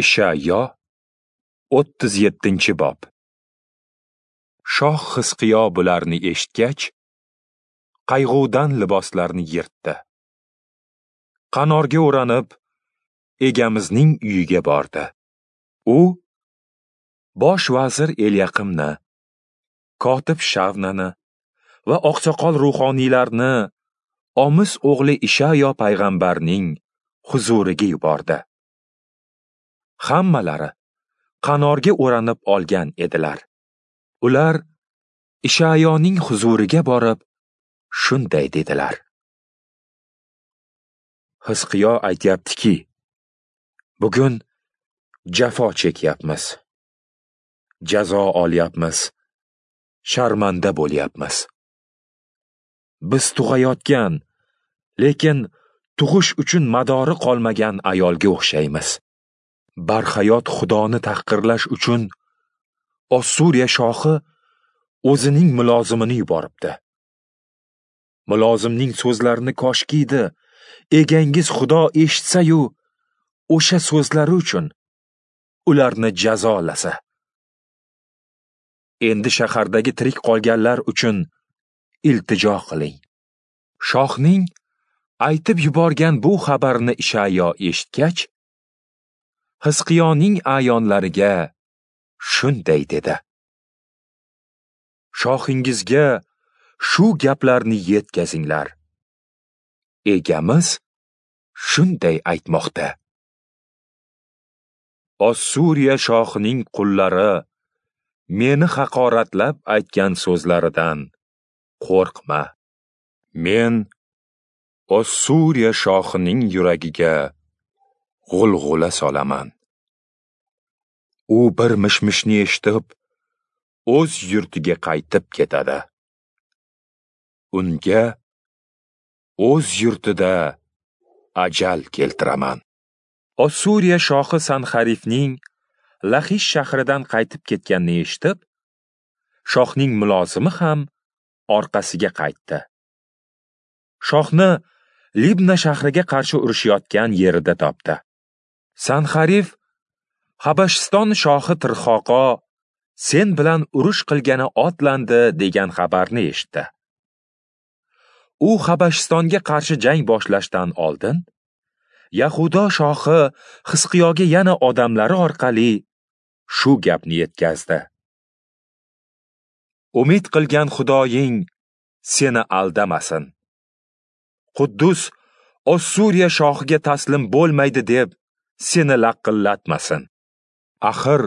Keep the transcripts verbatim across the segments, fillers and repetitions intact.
Ishayo o'ttiz yettinchi bob. Shoh Xizqiyo bularni eshitgach, qayg'udan liboslarini yirtdi. Qanorga o'ranib, egamizning uyiga bordi. U bosh vazir Elyaqimni, kotib Shavnani va oqsoqol ruhoniylarni Omis o'g'li Ishayo payg'ambarning huzuriga yubordi. Hammalari qanorga o'ranib olgan edilar. Ular Ishayoning huzuriga borib shunday dedilar: Xizqiyo aytyaptiki, bugun jafo chekyapmiz, jazo olyapmiz, sharmanda bo'lyapmiz. Biz tug'ayotgan, lekin tug'ish uchun madori qolmagan ayolga o'xshaymiz. Barhayot Xudoni tahqirlash uchun Ossuriya shohi o'zining mulozimini yuboribdi. Mulozimning so'zlarini koshkiydi, egangiz Xudo eshitsa-yu, o'sha so'zlari uchun ularni jazolasa. Endi shahardagi tirik qolganlar uchun iltijo qiling. Shohning aytib yuborgan bu xabarni Ishayo eshitgach, Xizqiyoning a'yonlariga shunday dedi: Shohingizga shu gaplarni yetkazinglar. Egamiz shunday aytmoqda: Ossuriya shohining qullari meni haqoratlab aytgan so'zlaridan qo'rqma. Men Ossuriya shohining yuragiga g'ulg'ula solaman. U bir mishmishni eshitib, o'z yurtiga qaytib ketadi. Unga o'z yurtida ajal keltiraman. Ossuriya shohi Sanxarifning Laxish shahridan qaytib ketganini eshitib, shohning mulozimi ham orqasiga qaytdi. Shohni Libna shahriga qarshi urushayotgan yerida topdi. Sanxarif Habashiston shohi Tirxoqo sen bilan urush qilgani otlandi degan xabarni eshitdi. U Habashistonga qarshi jang boshlashdan oldin Yahudo shohi Xizqiyoga yana odamlari orqali shu gapni yetkazdi: Umid qilgan Xudoying seni aldamasin. Quddus Ossuriya shohiga taslim bo'lmaydi deb seni laqillatmasin. Axir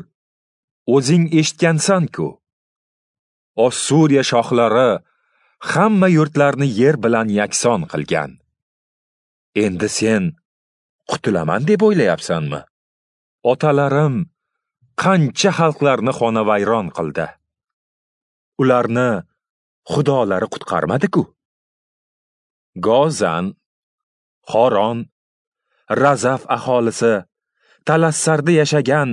o'zing eshitgansan-ku. Ossuriya shohlari hamma yurtlarni yer bilan yakson qilgan. Endi sen qutulaman deb o'ylayapsanmi? Otalarim qancha xalqlarni xonavayron qildi. Ularni xudolari qutqarmadi-ku. Gozan, Xoron, Razaf aholisi, Talassarda yashagan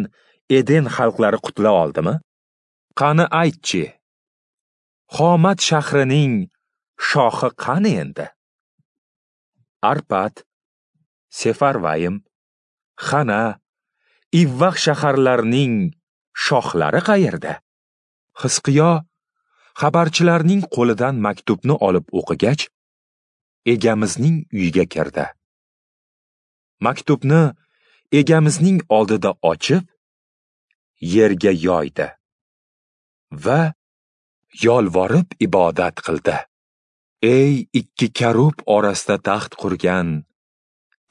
Eden xalqlari qutula oldimi? Qani aytchi, Xomat shahrining shohi qani endi? Arpat, Sefarvayim, Xana, Ivvaq shaharlarining shohlari qayerda? Xizqiyo xabarchilarning qo'lidan maktubni olib o'qigach, egamizning uyiga kirdi. Maktubni egamizning oldida ochib, yerga yoydi va yolvorib ibodat qildi. Ey ikki karub orasida taxt qurgan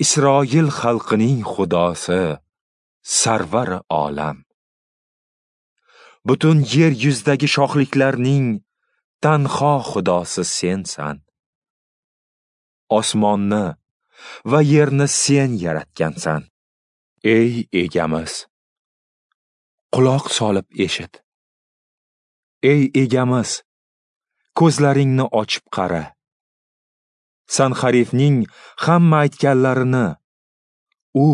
Isroil xalqining Xudosi, sarvari olam! Butun yer yuzidagi shohliklarning tanho Xudosi sensan. Osmonni va yerni sen yaratgansan. Ey egamiz, quloq solib eshit. Ey egamiz, ko'zlaringni ochib qara. Sanxarifning hamma aytganlarini, u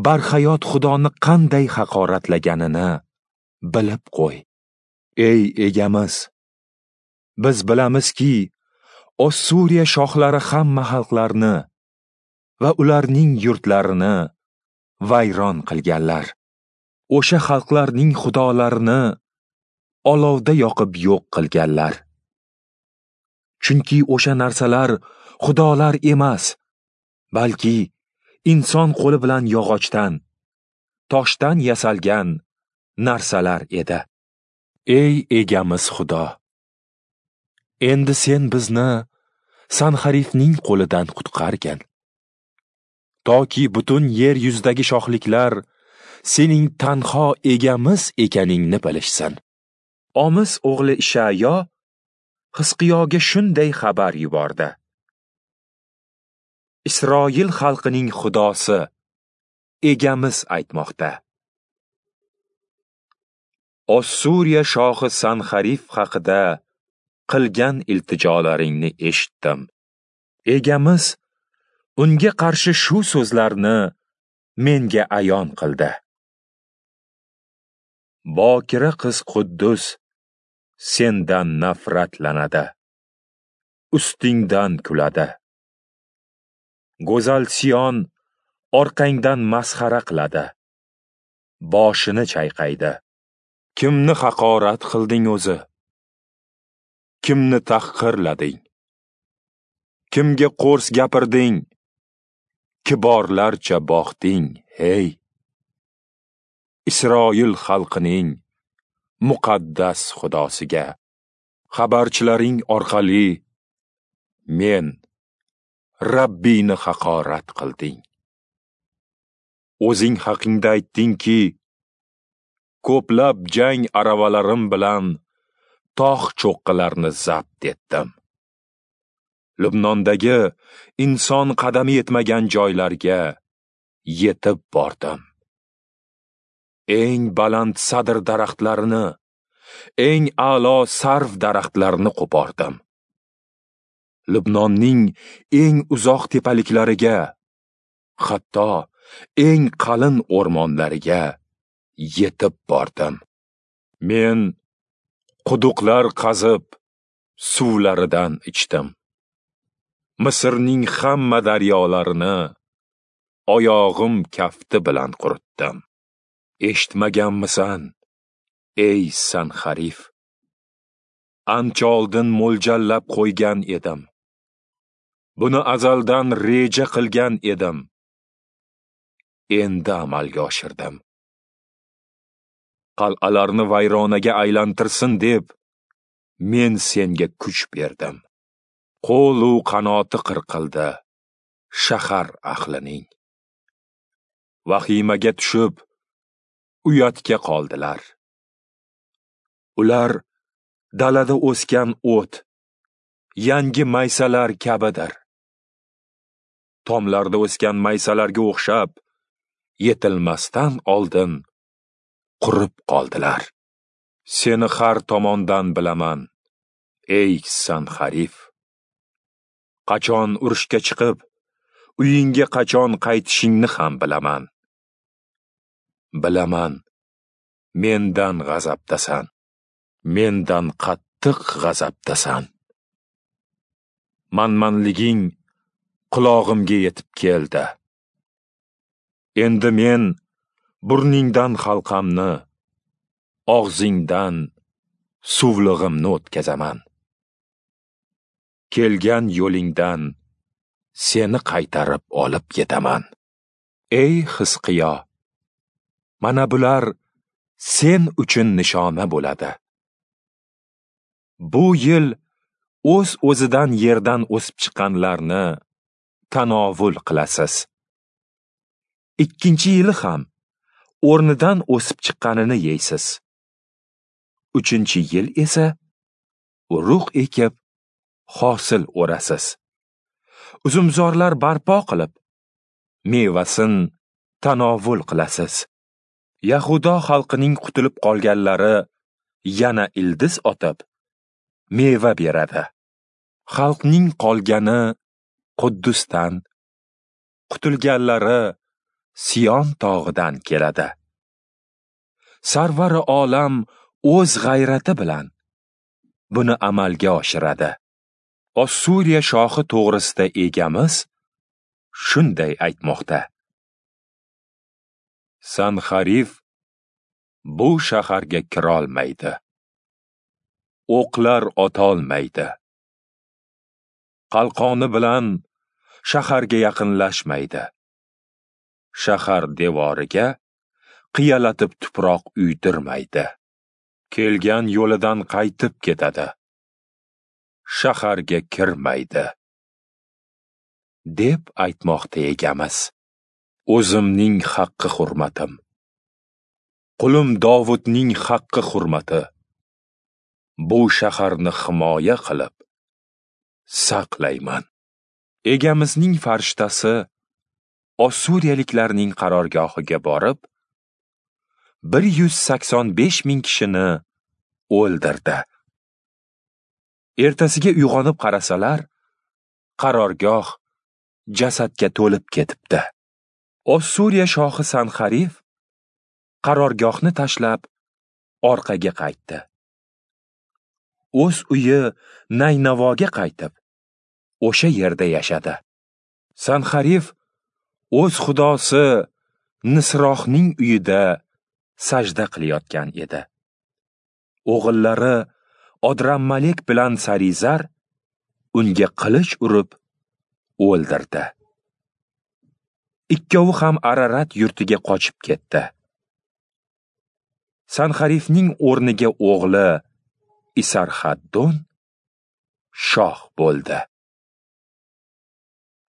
barhayot Xudoni qanday haqoratlaganini bilib qo'y. Ey egamiz, biz bilamizki, Ossuriya shohlari hamma xalqlarni va ularning yurtlarini vayron qilganlar. O'sha xalqlarning xudolarini olovda yoqib yo'q qilganlar. Chunki o'sha narsalar xudolar emas, balki inson qo'li bilan yog'ochdan, toshdan yasalgan narsalar edi. Ey egamiz Xudo, endi sen bizni Sanxarifning qo'lidan qutqargin, toki butun yer yuzidagi shohliklar sening tanho egamiz ekaningni bilishsin. Omis o'g'li Ishayo Hizqiyoga shunday xabar yubordi: Isroil xalqining Xudosi egamiz aytmoqda: Ossuriya shohi Sanxarif haqida qilgan iltijolaringni eshitdim. Egamiz unga qarshi shu so'zlarni menga ayon qildi: Bokira qiz Quddus sendan nafratlanadi, ustingdan kuladi. Go'zal Sion orqangdan masxara qiladi, boshini chayqaydi. Kimni haqorat qilding o'zi? Kimni tahqirlading? Kimga qo'rs gapirding? Kiborlarcha boqding, hey! Isroil xalqining muqaddas Xudosiga xabarchilaring orqali men Rabbiyni haqorat qilding. O'zing haqingda aytdingki, ko'plab jang aravalarim bilan tog' cho'qqilarni zabt etdim. Lubnondagi inson qadami yetmagan joylarga yetib bordim. Eng baland sadr daraxtlarini, eng a'lo sarv daraxtlarini qo'pordim. Lubnonning eng uzoq tepaliklariga, hatto eng qalin o'rmonlariga yetib bordim. Men quduqlar qazib, suvlaridan ichdim. Misrning hamma daryolarini oyog'im kafti bilan quritdim. Eshitmaganmisan, ey Sanxarif? Ancha oldin mo'ljallab qo'ygan edim. Buni azaldan reja qilgan edim. Endi amalga oshirdim. Qal'alarni vayronaga aylantirsin deb men senga kuch berdim. Qo'l-u qanoti qirqildi shahar ahlining. Vahimaga tushib, uyatga qoldilar. Ular dalada o'sgan o't, yangi maysalar kabidir. Tomlarda o'sgan maysalarga o'xshab, yetilmasdan oldin qurib qoldilar. Seni har tomondan bilaman, ey Sanxarif. Qachon urushga chiqib, uyingga qachon qaytishingni ham bilaman. Bilaman, mendan g'azabdasan, mendan qattiq g'azabdasan. Manmanliging qulog'imga yetib keldi. Endi men burningdan halqamni, og'zingdan suvlig'imni o'tkazaman. Kelgan yo'lingdan seni qaytarib olib ketaman. Ey Hizqiyo, mana bular sen uchun nishona bo'ladi. Bu yil o'z-o'zidan yerdan o'sib chiqqanlarni tanovul qilasiz. Ikkinchi yili ham o'rnidan o'sib chiqqanini yeysiz. Uchinchi yil esa urug' ekib hosil o'rasiz. Uzumzorlar barpo qilib, mevasin tanovul qilasiz. Yahudo xalqining qutulib qolganlari yana ildiz otib, meva beradi. Xalqning qolgani Quddusdan, qutulganlari Sion tog'idan keladi. Sarvari olam o'z g'ayrati bilan buni amalga oshiradi. Ossuriya shohi to'g'risida egamiz shunday aytmoqda: Sanxarif Bu shaharga kirolmaydi. O'qlar otolmaydi. Qalqoni bilan shaharga yaqinlashmaydi. Shahar devoriga qiyalatib tuproq uydirmaydi. Kelgan yo'lidan qaytib ketadi. Shaharga kirmaydi. Deb aytmoqda Egamiz. O'zimning haqqi hurmatim, qulim Dovudning haqqi hurmati bu shaharni himoya qilib saqlayman. Egamizning farishtasi Ossuriyaliklarning qarorgohiga borib, bir yuz sakson besh ming kishini o'ldirdi. Ertasiga uyg'onib qarasalar, qarorgoh jasadga to'lib ketibdi. Ossuriya shohi Sanxarif qarorgohni tashlab orqaga qaytdi. O'z uyi Naynavoga qaytib, o'sha yerda yashadi. Sanxarif o'z xudosi Nisrohning uyida sajda qilayotgan edi. O'g'illari Odrammalek bilan Sarizar unga qilich urib o'ldirdi. Ikkovi ham Ararat yurtiga qochib ketdi. Sanxarifning o'rniga o'g'li Isarxaddon shoh bo'ldi.